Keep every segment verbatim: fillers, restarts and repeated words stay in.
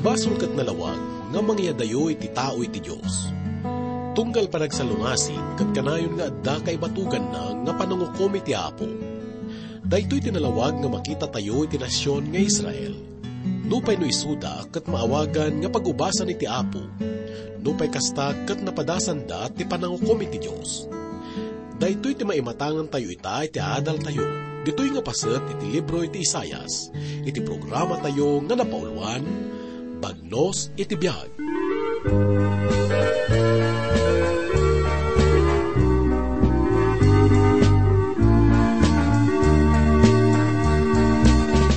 Basol ket nalawag nga mangyadayo iti tao iti Dios. Tunggal panagsalungasing ket kanayon nga adda kaibatuganna nga panangukom iti Apo. Daytoy ti nalawag nga makitatayo iti nasion nga Israel. Nupay no isuda ket maawagan nga pag-ubasan iti Apo, nupay kasta ket napadasanda ti panangukom iti Dios. Daytoy ti maimatangantayo ita iti adaltayo. Ditoy nga paset iti libro iti Isaias, iti programatayo nga napauluan, Bagnos iti Biag.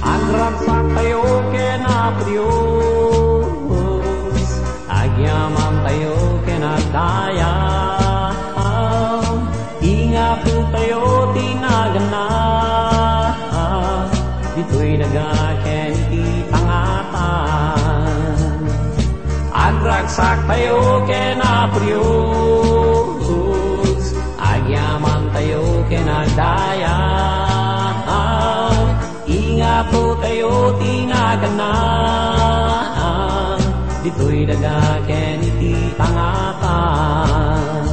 Agragsaktayo ken Apo Dios, agyamantayo ken agdaya. Ingapotayo ti naganna, ditoy daga ken iti pangatan. Agragsaktayo ken Apo Dios, agyamantayo ken agdaya. Ingapotayo ti naganna, ditoy daga ken iti pangatan.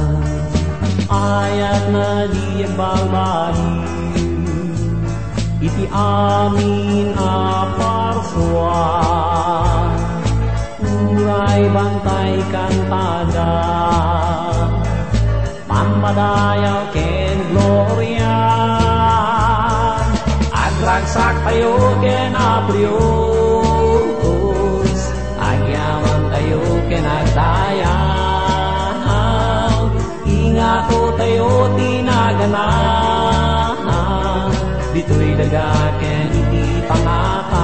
Ayat na di agbalbaliw iti amin a parsua. Uray bantay kantada, pammadayaw ken gloria. Agragsaktayo ken Apo Dios, agyamantayo ken agdaya. Ingapotayo ti naganna, ditoy daga ken iti pangatan.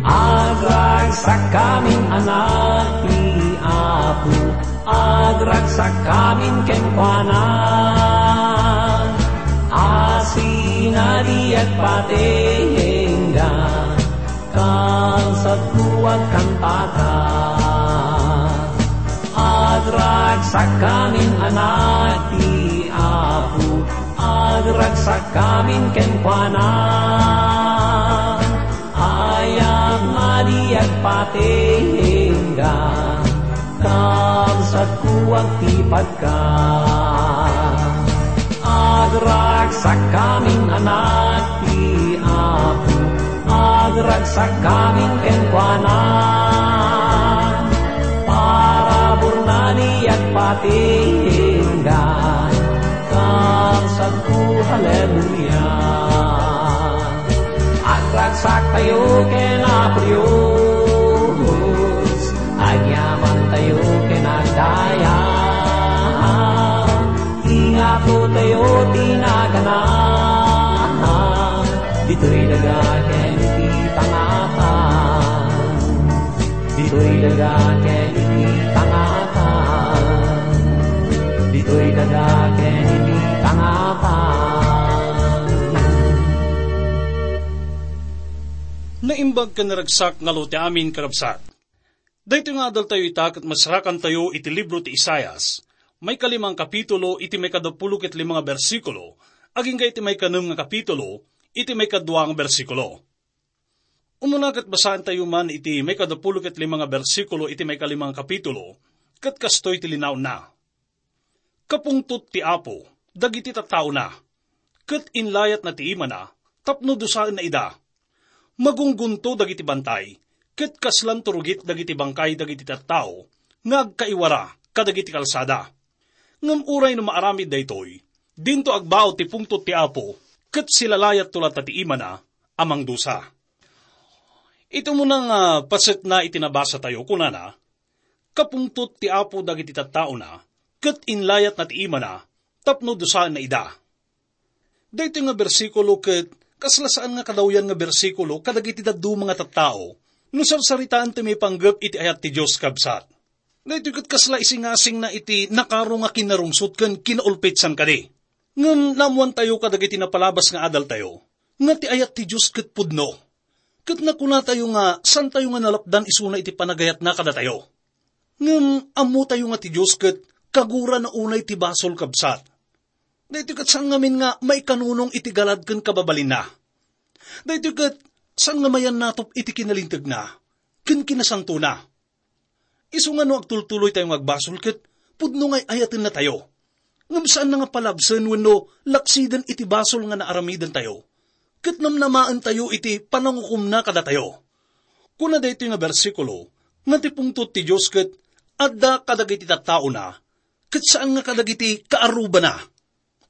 Agragsakkamin, anak ti Apo, agragsakkamin kenkuana. Asin a di agpatengga, kabsatko, agkantaka. Agragsakkamin, anak ti Apo, agragsakkamin kenkuana. Ayat a di agpatengga, kabsatko, agtipatko. Agragsakkamin, anak ti Apo, agragsakkamin kenkuana. Paraburna di agpatengga, kabsatko, haleluya. Agragsaktayo ken Apo Dios, agyamantayo ken agdaya. Ingapotayo ti naganna, ditoy daga ken iti pangatan. Ditoy daga ken iti pangatan. Ditoy daga ken iti pangatan. Naimbag ken naragsak nga lute amin, karabsat. Daytoy nga adaltayo ita ket masarakantayo iti libro ti Isaias, maikalimang kapitulo iti maikadapulo ket lima nga bersikulo, agingga iti maikanem nga kapitulo iti maikadua nga bersikulo. Umuna ket basaentayo man iti maikadapulo ket lima nga bersikulo iti maikalima nga kapitulo, ket kastoy ti linaonna, "Kapungtot ti Apo dagiti tattaona, ket inlayatna ti imana tapno dusaenna ida. Magunggunto dagiti bantay, ket kaslan turugit dagiti bangkay dagiti tattao nga agkaiwara kadagiti kalsada. Ngem uray no maaramid daytoy, dinto agbaw ti pungtot ti Apo, ket silalayatto latta ti imana a mangdusa." Iti umuna nga pasekna iti nabasatayo, kunana, "Kapungtot ti Apo dagiti tattaona, ket inlayatna ti imana tapno dusaenna ida." Daytoy nga bersikulo ket kasla saan nga kadawyan nga bersikulo kadagiti dadduma nga tattao no sarsaritaen ti maipanggep iti ayat ti Dios, kabsat. Daytoy ket kasla isingasingna iti nakaro nga kinarungsot ken kinaulpit san kadi. Ngem naammoantayo kadagiti napalabas nga adaltayo, nga ti ayat ti Dios ket pudno. Ket nakunatayo nga saantayo nga nalapdan isuna iti panagayatna kadatayo. Ngem ammotayo nga ti Dios ket kagurana unay ti basol, kabsat. Daytoy ket saan ngamin nga maikanunong iti galad ken kababalinna. Daytoy ket saan nga mayannatop iti kinalintegna ken kinasantona. Isu nga no agtultuloytayo nga agbasol ket pudno nga ay-ayatennatayo. Ngem saanna nga palabsen wenno laksiden iti basol nga naaramidentayo, ket namnamaentayo iti panangukomna kadatayo. Kuna daytoy nga bersikulo nga ti pungtot ti Dios ket adda kadagiti tattaona, ket saan nga kadagiti kaarrubana.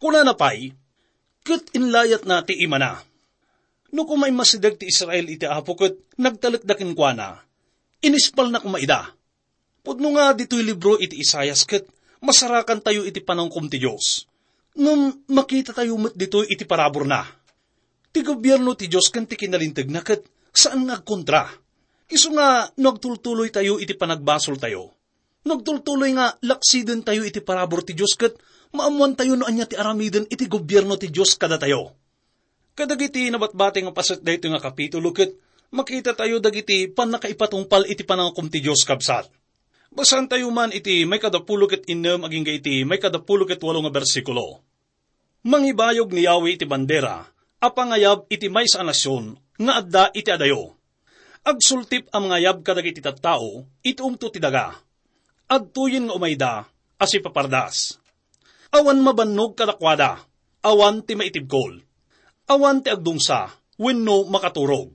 Kunana pay, ket inlayatna ti imana. No koma immasideg ti Israel iti Apo ket nagtalekda kenkuana, inispalna koma ida. Pudno nga ditoy libro iti Isaias ket masarakantayo iti panangukom ti Dios. Ngem makitatayo met ditoy iti paraburna. Ti gobierno ti Dios ken ti kinalintegna ket saan nga agkontra. Isu nga no agtultuloytayo iti panagbasoltayo, no agtultuloy nga laksidentayo iti parabur ti Dios ket maammoantayo no ania ti aramiden iti gobierno ti Dios kadatayo. Kadagiti nabatbati nga paset daytoy nga kapitulo ket makitatayo dagiti pannakaipatungpal iti panangukom ti Dios, kabsat. Basaantayo man iti maikadapulo ket innem agingga iti maikadapulo ket walo nga bersikulo. Mangibayog ni Yahweh iti bandera a pangayab iti maysa a nasion nga adda iti adayo. Agsultip a mangayab kadagiti tattao iti umto ti daga. Agtuyen nga umayda a sipapardas. Awan mabannog kadakuada, awan ti maitibkol, awan ti agdungsa wenno makaturog,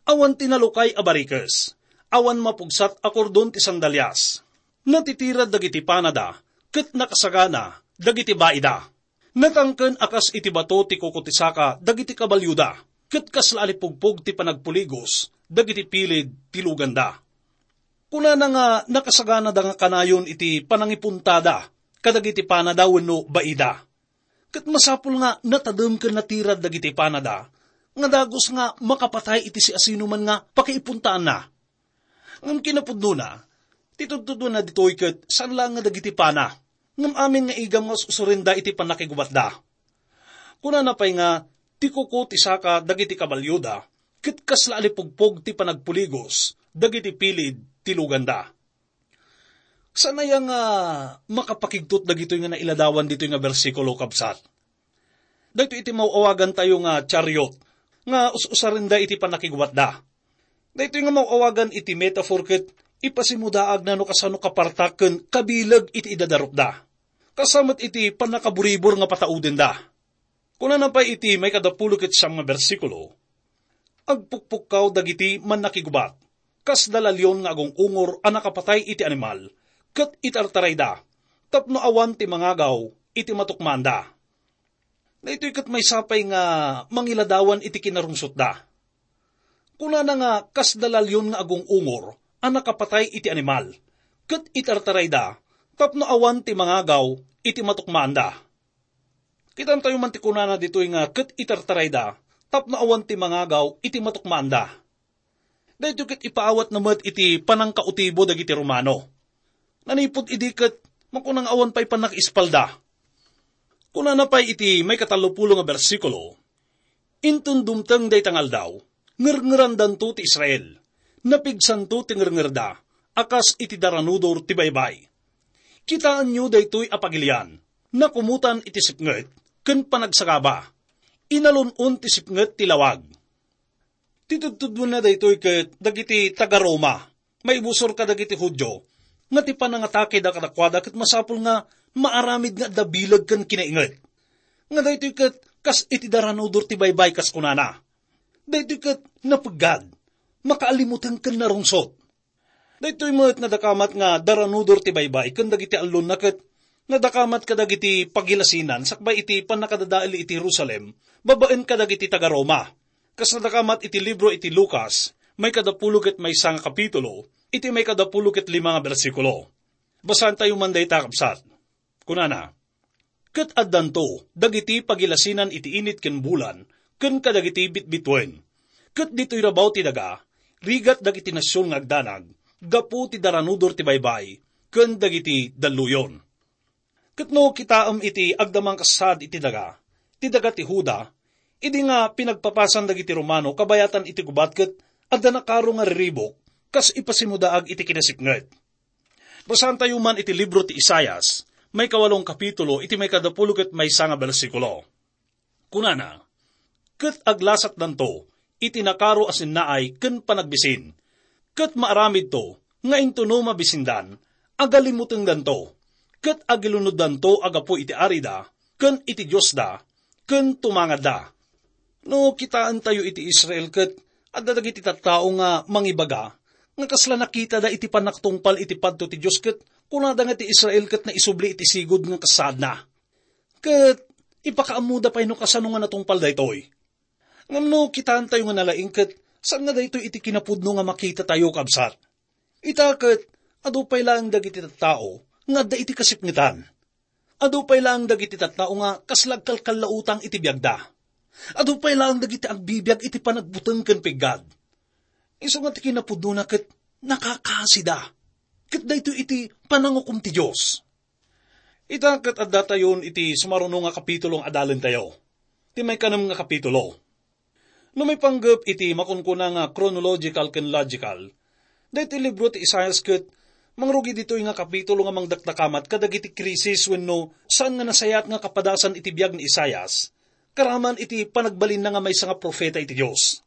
awan ti nalukay a barikes, awan mapugsat a kordon ti sandalias. Natitirad dagiti panada ket nakasagana dagiti baida. Natangken a kas iti bato ti kuko ti saka dagiti kabalioda, ket kasla a lipugpog ti panagpuligos dagiti pilid ti luganda. Kunana nga nakasaganada nga kanayon iti panangipuntada kadagiti panada wenno baida. Ket masapul nga natadem ken natirad dagiti panada nga dagus nga makapatay iti siasinoman nga pakiipuntaanna. Ngem kinapudnona, ti tudtuduenna ditoy ket saan laeng nga dagiti pana, ngem amin nga igam nga us-usurenda iti pannakigubatda. Kunana pay nga, ti kuko ti saka dagiti kabalioda, ket kasla a lipugpog ti panagpuligos dagiti pilid ti luganda. Saan aya nga makapakigtot dagitoy nga nailadawan ditoy nga bersikulo, kabsat? Daytoy iti maw-awagantayo nga chariot nga us-usarenda iti pannakigubatda. Daytoy nga maw-awagan iti metaphor ket ipasimudaagna no kasano kapartak ken kabileg iti idadarupda. Kasta met iti pannakaburibor nga pataudenda. Kunana pay iti maikadapulo ket siam nga bersikulo, "Agpukpukkaw dagiti mannakigubat, kas dala leon nga agung-ungor a nakapatay iti animal, ket itartarayda, tapno awan ti mangagaw iti matukmaanda." Daytoy ket maysa pay nga mangiladawan iti kinarungsotda. Kunana nga kas dala leon nga agung-ungor a nakapatay iti animal, ket itartarayda tapno awan ti mangagaw iti matukmaanda. Kitantayo man ti kunana ditoy nga ket itartarayda tapno awan ti mangagaw iti matukmaanda. Daytoy ket ipaawatna met iti panangkautibo dagiti Romano. Nanipud idi ket makuna nga awan pay pannakaispalda. Kunana pay iti maikatallopulo nga bersikulo, "Inton dumteng dayta nga aldaw, ngerngerandanto ti Israel. Napigsanto ti ngerngerda a kas iti daranudor ti baybay. Kitaenyo daytoy a pagilian, nakumotan iti sipnget ken panagsagaba. Inalun-on ti sipnget ti lawag." Ti tudtuduenna daytoy ket dagiti taga-Roma, maibusor kadagiti Judio, nga ti panangatakeda kadakuada ket masapul nga maaramid nga adda bileg ken kinainget. Nga daytoy ket kas iti daranudor ti baybay, kas kunana. Daytoy ket napeggad, makaalimuteng ken narungsot. Daytoy met nadakamat nga daranudor ti baybay ken dagiti allonna ket nadakamat kadagiti pagilasinan sakbay iti pannakadadael iti Jerusalem babaen kadagiti taga-Roma. Kas nadakamat iti libro iti Lucas, maikadapulo ket maysa nga kapitulo, iti maikadapulo ket lima nga bersikulo. Basaantayo man dayta, kabsat. Kunana, "Ket addanto dagiti pagilasinan iti init ken bulan ken kadagiti bitbituen. Ket ditoy rabaw ti daga, rigat dagiti nasion nga agdanag gapu ti daranudor ti baybay ken dagiti dalluyon." Ket no kitaem iti agdamang kas saad iti daga, ti daga ti Juda, idi nga pinagpapasan dagiti Romano kabayatan iti gubat ket adda nakaro nga riribuk, kas ipasimudaag iti kinasipnget. Basaantayo man iti libro ti Isaias, maikawalong kapitulo, iti maikadapulo ket maysa nga bersikulo. Kunana, "Ket aglasatdanto iti nakaro a sinnaay ken panagbisin, ket maaramidto nga intono mabisindan, agalimutengdanto, ket agilunoddanto a gapu iti arida ken iti Diosda, ken tumangadda." No kitaentayo iti Israel ket adda dagiti tattao nga mangibaga nga kasla nakitada iti pannakatungpal iti padto ti Dios, ket kunada nga ti Israel ket naisubli iti sigud nga kasaadna. Ket ipakaammoda pay no kasano nga natungpal daytoy. Ngem no kitaentayo nga nalaing ket saan nga daytoy iti kinapudno nga makitatayo, kabsat. Ita ket adu pay laeng dagiti tattao nga adda iti kasipngetan. Adu pay laeng dagiti tattao nga kasla agkalkallautang iti biagda. Adu pay laeng dagiti agbibiag iti panagbuteng ken piggad. Isu nga ti kinapudnona ket nakakasida. Ket daytoy iti panangukom ti Dios. Ita ket addatayon iti sumaruno nga kapitulo nga adalentayo. Ti maikanem nga kapitulo. No maipanggep iti makunkuna nga chronological ken logical, daytoy libro ti Isaias ket mangrugi ditoy nga kapitulo nga mangdakdakamat kadagiti krisis wenno saan nga nasayaat nga kapadasan iti biag ni Isaias, karaman iti panagbalinna nga maysa nga profeta iti Dios.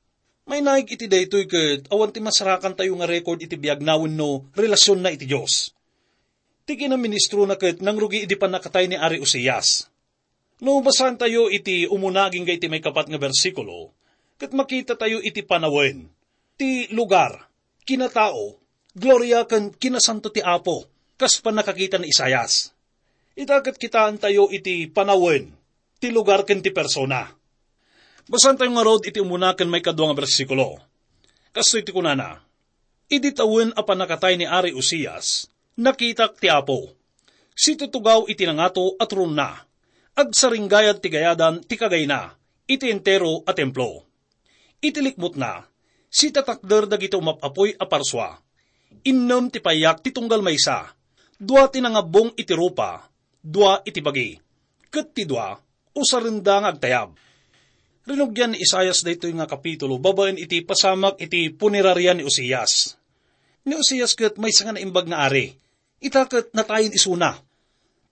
Mainaig iti daytoy ket awan ti masarakantayo nga record iti biagna wenno relasionna iti Dios. Ti kinaministrona ket nangrugi idi pannakatay ni Ari Uzias. No basaantayo iti umuna agingga iti maikapat nga bersikulo, ket makitatayo iti panawen, ti lugar, kinatao, gloria ken kinasanto ti Apo, kas pannakakita ni Isaias. Ita ket kitaentayo iti panawen, ti lugar ken ti persona. Basaantayo ngarud iti umuna ken maikadua nga bersikulo. Kastoy ti kunana, "Idi tawen a pannakatay ni Ari Uzias, nakitak ti Apo. Situtugaw iti nangato a tronna. Agsaringgayad ti gayadan ti kagayna iti entero a templo. Iti likmutna, sitatakder dagiti umap-apoy a parsua. Innem ti payak ti tunggal maysa. Dua ti nangabbong iti rupa, dua iti bagi. Ket ti dua, usarenda nga agtayab." Rinugian ni Isaias daytoy nga kapitulo babaen iti pasamak iti punerarian ni Uzias. Ni Uzias ket maysa nga naimbag nga ari. Ita ket natayen isuna.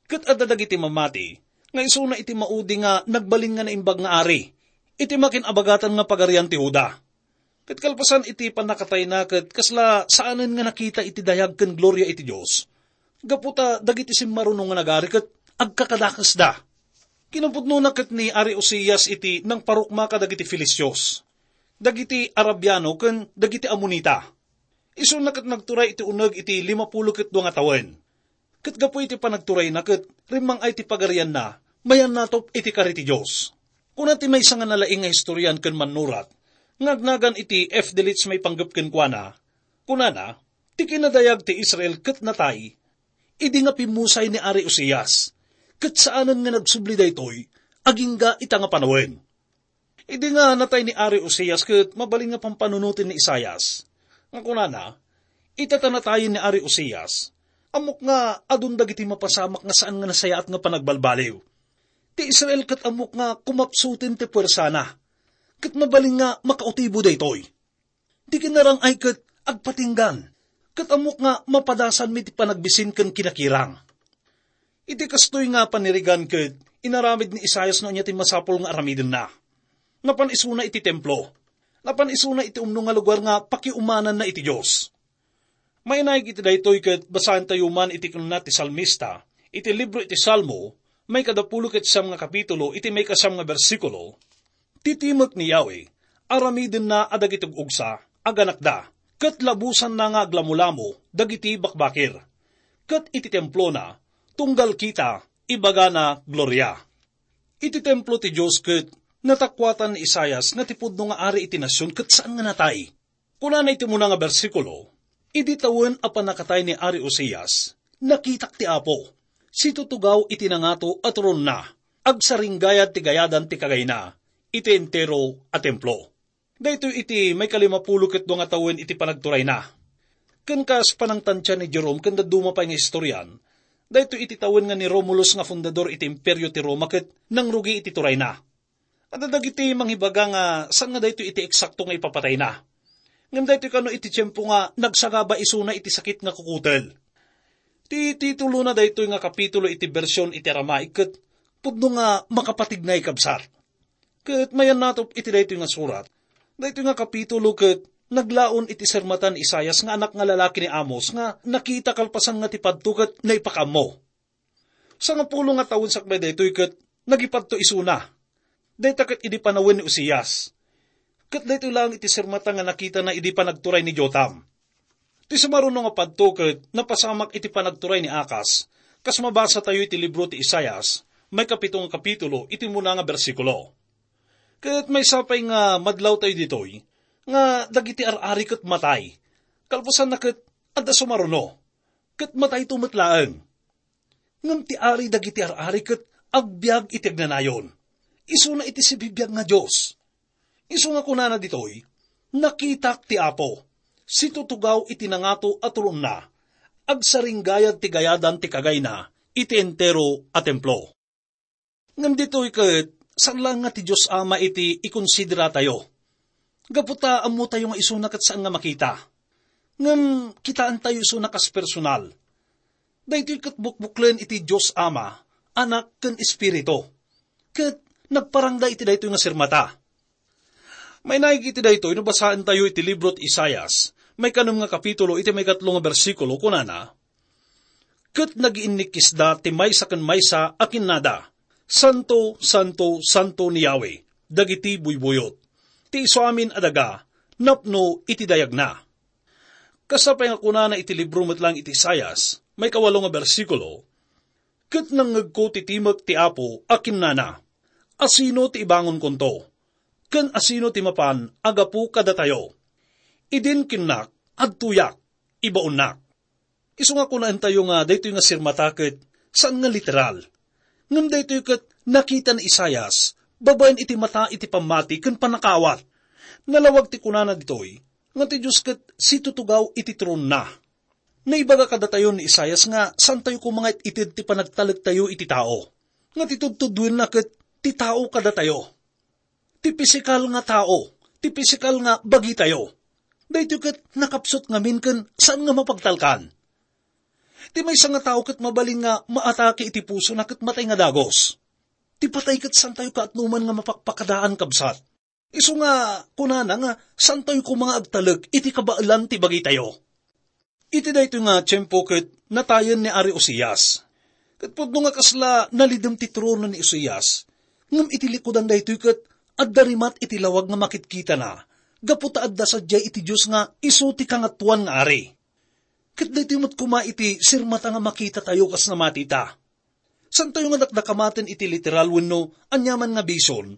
Ket adda dagiti mamati nga isuna iti maudi nga nagbalin nga naimbag nga ari iti makin-abagatan nga pagarian ti Juda. Ket kalpasan iti pannakatayna ket kasla saanen nga nakita iti dayag ken gloria iti Dios. Gapu ta dagiti simmaruno nga nagari ket agkakadakesda. Kinapudnona ket ni Ari Uzias iti nangparukma kadagiti Filistios, dagiti Arabiano ken dagiti Amonita. Isuna ket nagturay iti uneg iti limapulo ket dua nga tawen. Ket gapu iti panagturayna ket rimmang-ay ti pagarianna, mayannatop iti kari ti Dios. Kuna ti maysa nga nalaing nga historian ken mannurat nga agnagan iti F. Delitzsch maipanggep kenkuana, kunana, "Ti kinadayag ti Israel ket natay idi nga pimmusay ni Ari Uzias, ket saanen nga nagsubli daytoy agingga ita nga panawen." Idi nga natay ni Ari Uzias ket mabalin nga pampanunoten ni Isaias nga kunana, "Ita ta natayen ni Ari Uzias, ammok nga adun dagiti mapasamak nga saan nga nasayaat nga panagbalbaliw. Ti Israel ket ammok nga kumapsuten ti puersana, ket mabalin nga makautibo daytoy. Ti kinarang-ay ket agpatinggan, ket ammok nga mapadasanmi ti panagbisin ken kinakirang." Iti kastoy nga panirigan ket inaramid ni Isaias no ania ti masapul nga aramidenna. Napan isuna iti templo. Napan isuna iti umno nga lugar nga pakiumananna iti Dios. Mainaig iti daytoy ket basaentayo man iti kinuna ti salmista iti libro iti Salmo, maikadapulo ket siam nga kapitulo, iti maikasiam nga bersikulo, "Ti timek ni Yahweh, aramidenna a dagiti ug-ugsa, aganakda, ket labusanna nga aglamulamo dagiti bakbakir. Ket iti templona, tunggal kita, ibagana gloria." Iti templo ti Dios ket natakuatan ni Isaias nga ti pudno nga ari iti nasion ket saan nga natay. Kunana iti umuna nga bersikulo, "Idi tawen a pannakatay ni Ari Uzias, nakitak ti Apo. Situtugaw iti nangato a tronna, agsaringgayad ti gayadan ti kagayna iti entero a templo." Daytoy iti maikalimapulo ket dua nga tawen iti panagturayna. Ken kas panangtantia ni Jerome ken dadduma pay nga historian, Daytoy iti tawen nga ni Romulus nga fundador iti Imperio ti Roma ket nangrugi iti turayna. Adda dagiti mangibaga nga saan nga daytoy iti eksakto nga ipapatayna. Ngem daytoy kano iti tiempo nga nagsagaba isuna iti sakit nga kukutel. Ti titulona daytoy nga kapitulo iti bersion iti Aramaic ket pudno nga makapatignay, kabsat. Ket mayannatop iti daytoy nga surat. Daytoy nga kapitulo ket naglaon iti sirmatan ni Isaias nga anak nga lalaki ni Amos nga nakita kalpasan nga ti padto ket naipakaammo. Sangapulo nga tawen sakbay daytoy ket nagipadto isuna. Dayta ket idi panawen ni Uzias. Ket daytoy laeng iti sirmata nga nakitana idi panagturay ni Jotam. Ti sumaruno nga padto ket napasamak iti panagturay ni Akas, kas mabasa tayo iti libro ti Isaias, maikapito nga kapitulo, iti umuna nga bersikulo. Ket maysa pay nga madlaw tayo ditoy, nga dagiti ar-ari ket matay. Kalpasanna ket adda sumaruno, ket matayto met laeng. Ngem ti ari dagiti ar-ari ket agbiag iti agnanayon. Isuna iti sibibiag nga Dios. Isu nga kunana ditoy, "Nakitak ti Apo, situtugaw iti nangato a turonna, agsaringgayad ti gayadan ti kagayna iti entero a templo." Ngem ditoy ket, saan laeng nga ti Dios Ama iti ikonsideratayo. Gapu ta ammotayo nga isuna ket saan nga makita. Ngem kitaentayo isuna kas personal. Daytoy ket bukbuklen iti Dios Ama, Anak, ken Espiritu. Ket nagparangda iti daytoy nga sirmata. Mainaig iti daytoy no basaentayo iti libro ti Isaias, maikanem nga kapitulo, iti maikatlo nga bersikulo, kunana, "Ket nagiinnikkisda ti maysa ken maysa a kinnada, 'Santo, santo, santo ni Yahweh, dagiti buybuyot. Ti isuamin a daga, napno iti dayagna.'" Kasta pay nga kunana iti libro met laeng iti Isaias, maikawalo nga bersikulo, "Ket nangngegko ti timek ti Apo a kinnana, 'Asino ti ibangonkonto? Ken asino ti mapan a gapu kadatayo?' Idin kinnak, adtoyak, ibaonnak." Isu nga kunaentayo nga daytoy nga sirmata ket saan nga literal. Ngem daytoy ket nakita ni Isaias, babaen iti mata iti pammati ken pannakaawat. Nalawag ti kunana ditoy, nga ti Dios ket situtugaw iti tronna. Naibaga kadatayo ni Isaias nga saantayo koma nga it-ited ti panagtalektayo iti tao. Nga ti tudtudwenna ket ti tao kadatayo. Ti pisikal nga tao, ti pisikal nga bagitayo. Daytoy ket nakapsut ngamin ken saan nga mapagtalkan. Ti maysa nga tao ket mabalin nga maatake iti pusona ket matay nga dagus. Ti patay ket saantayo kaatnoman nga mapakpakadaan, kabsat. Isu nga kunana nga saantayo koma nga agtalek iti kabaelan ti bagitayo. Iti daytoy nga tiempo ket natayen ni Ari Uzias. Ket pudno nga kasla nalidem ti trono ni Uzias, ngem iti likudan daytoy ket adda rimat iti lawag nga makitkitana, gapu ta adda sadiay iti Dios nga isu ti Kangatoan nga Ari. Ket daytoy met koma iti sirmata nga makitatayo kas namatita. Saantayo nga dakdakamaten iti literal wenno aniaman nga bision,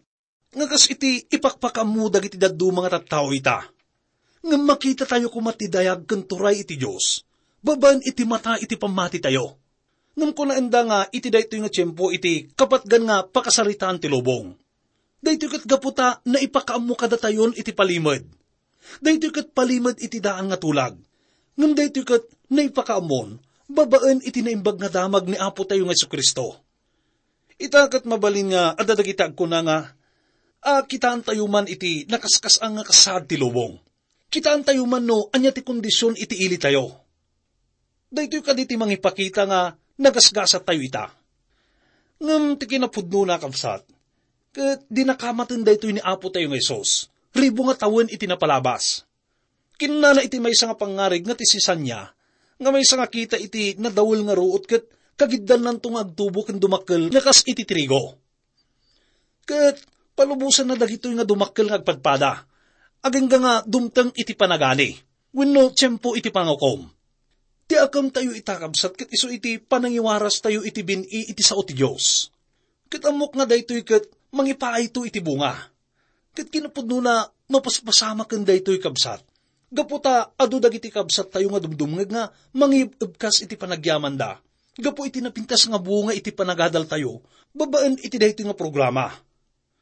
nga kas iti ipakpakaammo dagiti dadduma nga tattao ita. Ngem makitatayo koma ti dayag ken turay iti Dios, babaen iti mata iti pammatitayo. Ngem kunaenda nga iti daytoy nga tiempo iti kapatgan nga pakasaritaan ti lubong. Daytoy ket gapu ta naipakaammo kadatayon iti palimed. Daytoy ket palimed iti daan nga tulag. Ngem daytoy ket naipakaammon babaen iti Naimbag nga Damag ni Apo tayo nga Jesu-Cristo. Ita ket mabalin nga adda dagiti agkuna nga, "A, kitaentayo man iti nakaskas-an nga kasaad ti lubong. Kitaentayo man no ania ti kondision iti ilitayo." Daytoy kadi ti mangipakita nga nagasgasattayo ita. Ngem ti kinapudnona, kabsat, ket dinakamaten daytoy ni Apo tayo nga Jesus, ribu nga tawen iti napalabas. Kinnana iti maysa nga pangngarig nga ti sisanya, nga maysa nga kita iti nadawel nga ruot ket kagiddannanto nga agtubo ken dumakkel nga kas iti trigo. Ket palubosanna dagitoy nga dumakkel nga agpadpada, agingga nga dumteng iti panagani, wenno tiempo iti pangukom. Ti akemtayo ita, kabsat, ket isu iti panangiwarastayo iti bin-i iti sao ti Dios. Ket ammok nga daytoy ket mangipaayto iti bunga. Ket kinapudnona, mapaspasamak ken daytoy, kabsat. Gapu ta adu dagiti kabsattayo nga dumdumngeg nga mangib-ebkas iti panagyamanda gapu iti napintas nga bunga iti panagadaltayo babaen iti daytoy nga programa.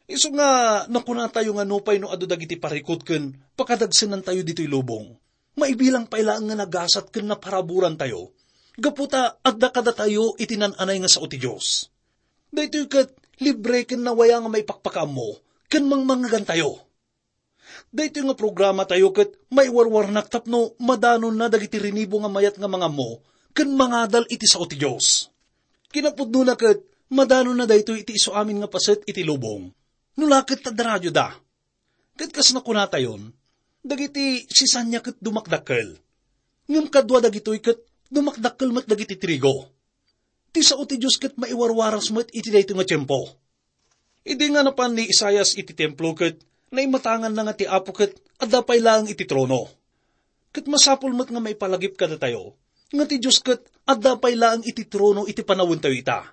Isu nga nakunatayo nga nupay no adu dagiti parikut ken pakadagsenantayo ditoy lubong, maibilang pay laeng nga nagasat ken naparaburantayo, gapu ta adda kadatayo iti nan-anay nga sao ti Dios. Daytoy ket libre ken nawaya nga maipakpakaammo ken mangmangngegantayo. Daytoy nga programatayo ket maiwarwarnak tapno madanonna dagiti rinibo nga mayat nga mangammo ken mangadal iti sao ti Dios. Kinapudnona ket madanonna daytoy iti isu amin nga paset iti lubong. No la ket adda radioda. Ket kas nakunatayon, dagiti sisania ket dumakdakkel. Ngem kadua dagitoy ket dumakdakkel met dagiti trigo. Ti sao ti Dios ket maiwarwaras met iti daytoy nga tiempo. Idi nga napan ni Isaias iti templo ket naimatanganna nga ti Apo ket adda pay laeng iti trono. Ket masapul met nga maipalagip kadatayo nga ti Dios ket adda pay laeng iti trono iti panawentayo ita.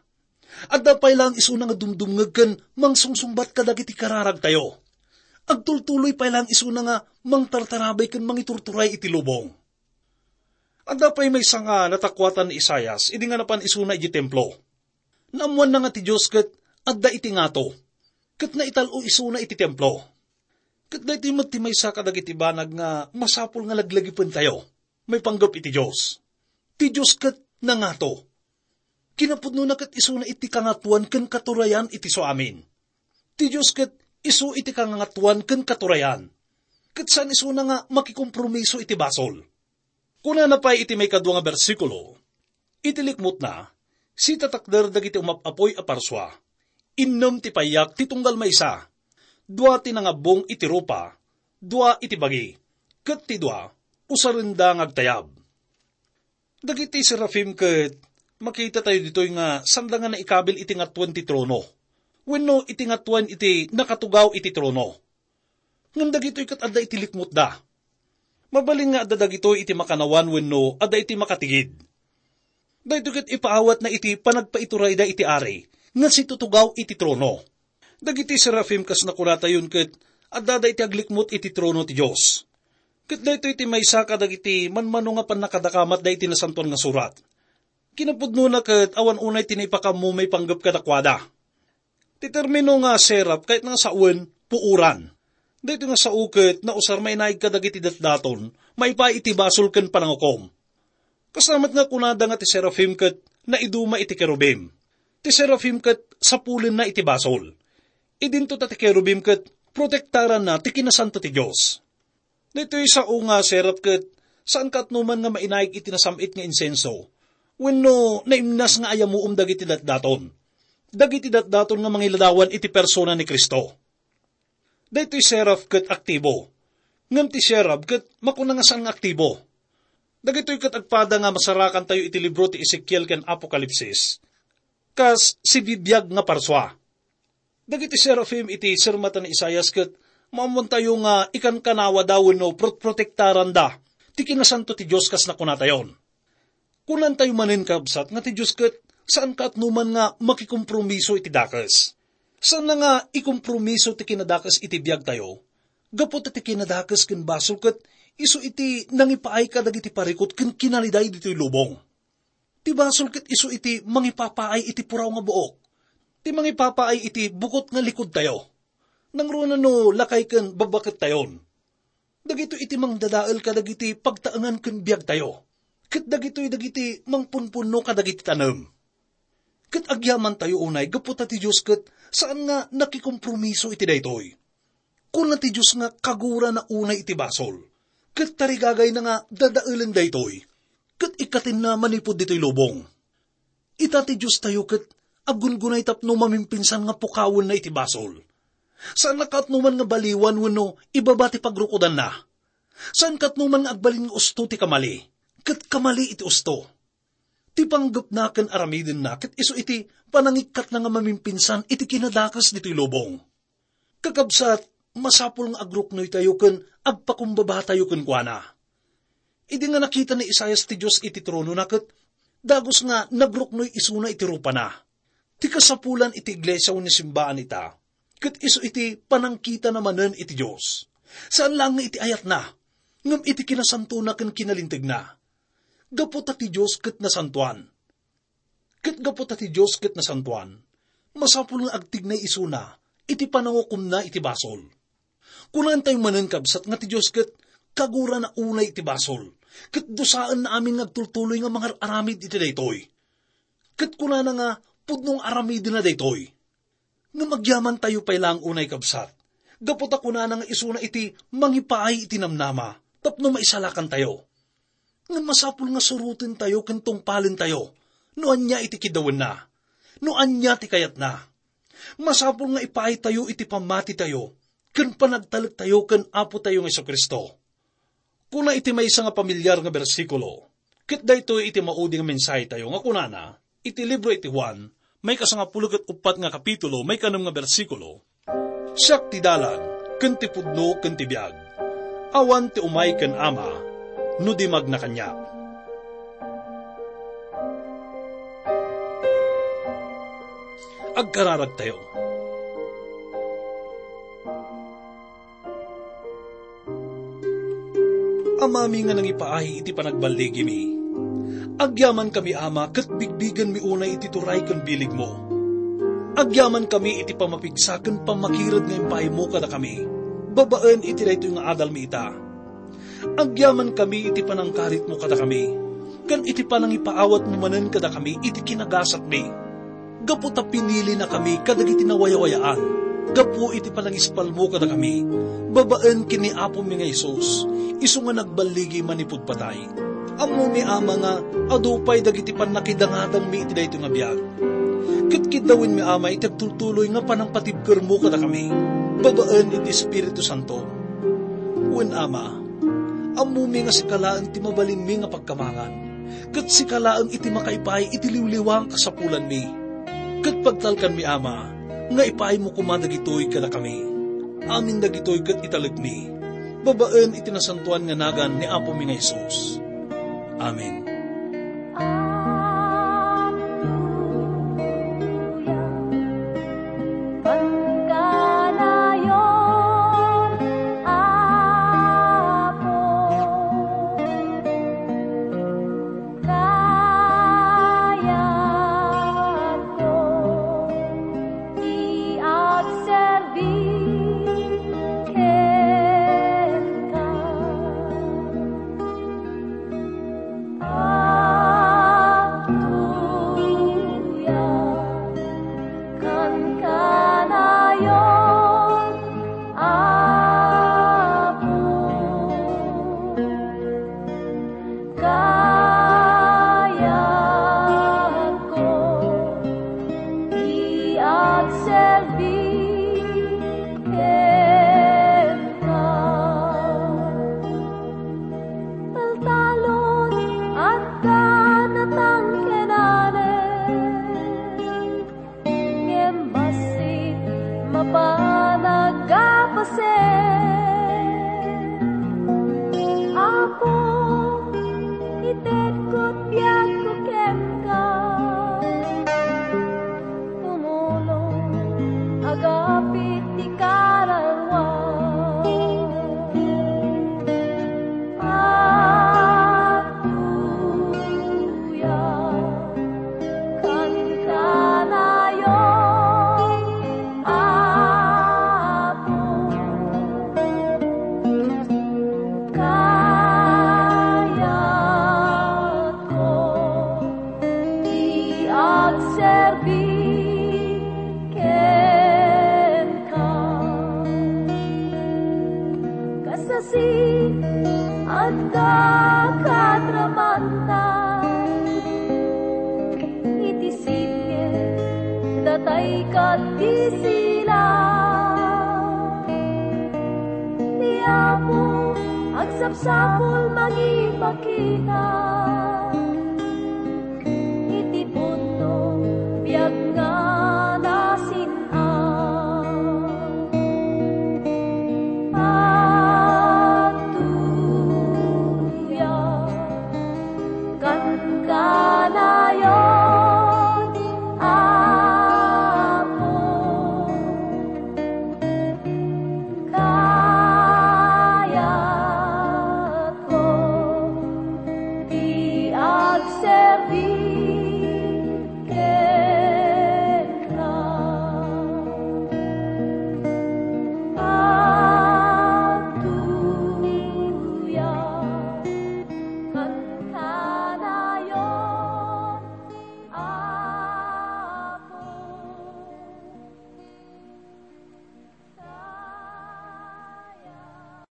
Adda pay laeng isuna nga dumdumngeg ken mangsungsungbat kadagiti kararagtayo. Agtultuloy pay laeng isuna nga mangtartarabay ken mangiturturay iti lubong. Adda pay maysa nga natakuatan ni Isaias idi nga napan isuna iti templo. Naammoanna nga ti Dios ket adda iti ngato, ket naital-o isuna iti templo. Ket daytoy met ti maysa kadagiti banag nga masapul nga laglagipentayo maipanggep iti Dios. Ti Dios ket nangato. Kinapudnona ket isuna iti kangatoan ken katurayan iti isu amin. Ti Dios ket isu iti kangatoan ken katurayan. Ket saan isuna nga makikompromiso iti basol. Kunana pay iti maikadua nga bersikulo, iti likmutna, sitatakder dagiti umap-apoy a parsua. Innem ti payak ti tunggal maysa. Dua ti nangabbong iti rupa, dua iti bagi, ket ti dua, usarenda nga agtayab. Dagiti serafim ket makitatayo ditoy nga sanda nga naikabil iti ngatoen ti trono, wenno iti ngatoen iti nakatugaw iti trono. Ngem dagitoy ket adda iti likmutda. Mabalin nga adda dagitoy iti makanawan wenno adda iti makatigid. Daytoy ket ipaawatna iti panagpaiturayda iti ari nga situtugaw iti trono. Dagiti serafim kas nakunatayon ket addada iti aglikmut iti trono ti Dios. Ket daytoy ti maysa kadagiti manmano nga pannakadakamatda iti Nasantoan nga Surat. Kinapudnona ket awan unay ti naipakaammo maipanggep kadakuada. Ti termino nga seraf ket nga sawen, puoran. Daytoy nga sao ket nausar mainaig kadagiti datdaton, maipaay iti basol ken panangukom. Kasla met nga kunada nga ti serafim ket naiduma iti kerubim. Ti serafim ket sapulenna iti basol. Idinto ta ti kerubim ket protektaranna ti kinasanto ti Dios. Daytoy sao nga seraf ket saan kaatnoman nga mainaig iti nasam-it nga insenso wenno naimnas nga ayamuom dagiti datdaton. Dagiti datdaton nga mangiladawan iti persona ni Cristo. Daytoy seraf ket aktibo. Ngem ti seraf ket makuna nga saan nga aktibo. Dagitoy ket agpada nga masarakantayo iti libro ti Ezekiel ken Apokalipsis. Kas sibibiag nga parsua. Dagiti serafim iti sirmata ni Isaias ket maammoantayo nga ikankanawada wenno prot-, protektaranda ti kinasanto ti Dios kas nakunatayon. Kunantayo manen, kabsat, nga ti Dios ket saan kaatnoman nga makikompromiso iti dakes. Saanna nga ikompromiso ti kinadakes iti biagtayo. Gapu ta ti kinadakes ken basol ket isu iti nangipaay kadagiti parikut ken kinaliday ditoy lubong. Ti basol ket isu iti mangipapaay iti puraw nga buok. Ti mangipapaay iti bukot nga likodtayo. Nangruna no lakay ken babbakettayon. Dagitoy iti mangdadael kadagiti pagtaengan ken biagtayo. Ket dagitoy dagiti mangpunpunno kadagiti tanem. Ket agyamantayo unay gapu ta ti Dios ket saan nga nakikompromiso iti daytoy. Kuna ti Dios nga kagurana unay iti basol, ket tarigagayna nga dadaelen daytoy, ket ikkatenna manipud ditoy lubong. Ita ti Diostayo ket aggungunay tapno mamimpinsan nga pukawenna iti basol. Saanna kaatnoman nga baliwan wenno ibaba ti pagrukodanna. Saan kaatnoman nga agbalin nga usto ti kamali, ket kamali iti usto. Ti panggepna ken aramidenna ket isu iti panangikkatna nga mamimpinsan iti kinadakes ditoy lubong. Kakabsat, masapul nga agruknoytayo ken agpakumbabatayo kenkuana. Idi nga nakita ni Isaias ti Dios iti tronona ket dagus nga nagruknoy isuna iti rupana. Ti kasapulan iti iglesia wenno simbaan ita, ket isu iti panangkitana manen iti Dios. Saan laeng nga iti ayatna, ngem iti kinasantona ken kinalintegna. Gapu ta ti Dios ket nasantoan. Ket gapu ta ti Dios ket nasantoan, masapul nga agtignay isuna iti panangukomna iti basol. Kunantayo manen, kabsat, nga ti Dios ket kagurana unay iti basol, Ket dusaenna amin nga agtultuloy nga mangar-aramid iti daytoy. Ket kunana nga pudno nga aramidenna daytoy. Ngem agyamantayo pay laeng unay, kabsat, gapu ta kunana nga isuna iti mangipaay iti namnama tapno maisalakantayo. Ngem masapul nga surotentayo ken tungpalentayo no ania iti kiddawenna, no ania ti kayatna. Masapul nga ipaaytayo iti pammatitayo ken panagtalektayo ken Apotayo nga Jesu-Cristo. Kuna iti maysa nga pamilyar nga bersikulo, ket daytoy iti maudi nga mensahetayo nga kunana, iti libro iti Juan, maikasangapulo ket uppat nga kapitulo, maikanem nga bersikulo, "Siak ti dalan, ken ti pudno, ken ti biag. Awan ti umay ken Ama, no di magna kaniak." Agkararagtayo. Amami nga nangipaay iti panagballigimi, agyamankami, Ama, ket bigbigenmi unay iti turay ken biligmo. Agyamankami iti pammapigsa ken pammakired nga impaaymo kadakami, babaen iti daytoy nga adalmi ita. Agyamankami iti panangkaritmo kadakami, ken iti panangipaawatmo manen kadakami iti kinagasatmi. Gapu ta pinilinakami kadagiti nawayawayaan, gapu iti panangispalmo kadakami, babaen ken ni Apomi nga Jesus, isu nga nagballigi manipud patay. Ammomi, Ama, nga adu pay dagiti pannakidangadangmi iti daytoy nga biag. Ket kiddawenmi, Ama, iti agtultuloy nga panangpatibkermo kadakami, babaen iti Espiritu Santo. Wen, Ama, ammomi nga sika laeng ti mabalinmi nga pagkamangan, ket sika laeng iti makaipaay iti liwliwa nga kasapulanmi. Ket pagtalkanmi, Ama, nga ipaaymo koma dagitoy kadakami. Amin dagitoy ket italekmi, babaen iti nasantoan nga nagan ni Apomi nga Jesus. Amen. Hallelujah. Pagkanayon, Apo, kayatko ti agserbi kenka. Agtuyakkan kanayon, Apo. Kayatko ti agserbi kenka. Taltalon, adda natangkenanen, ngem bassit mapan a gapasen. Apo, itedko ti biagko kenka. Tumulong, agapit ti kararua. Agtuyakkan kanayon, Apo. Kayatko ti agserbi kenka. Kasasi, adda katramantan iti sitge, datay ket ti sila. Ni Apo, agsapsapul mangipakita iti pudno biag nga nasin-an. Agtuyakkan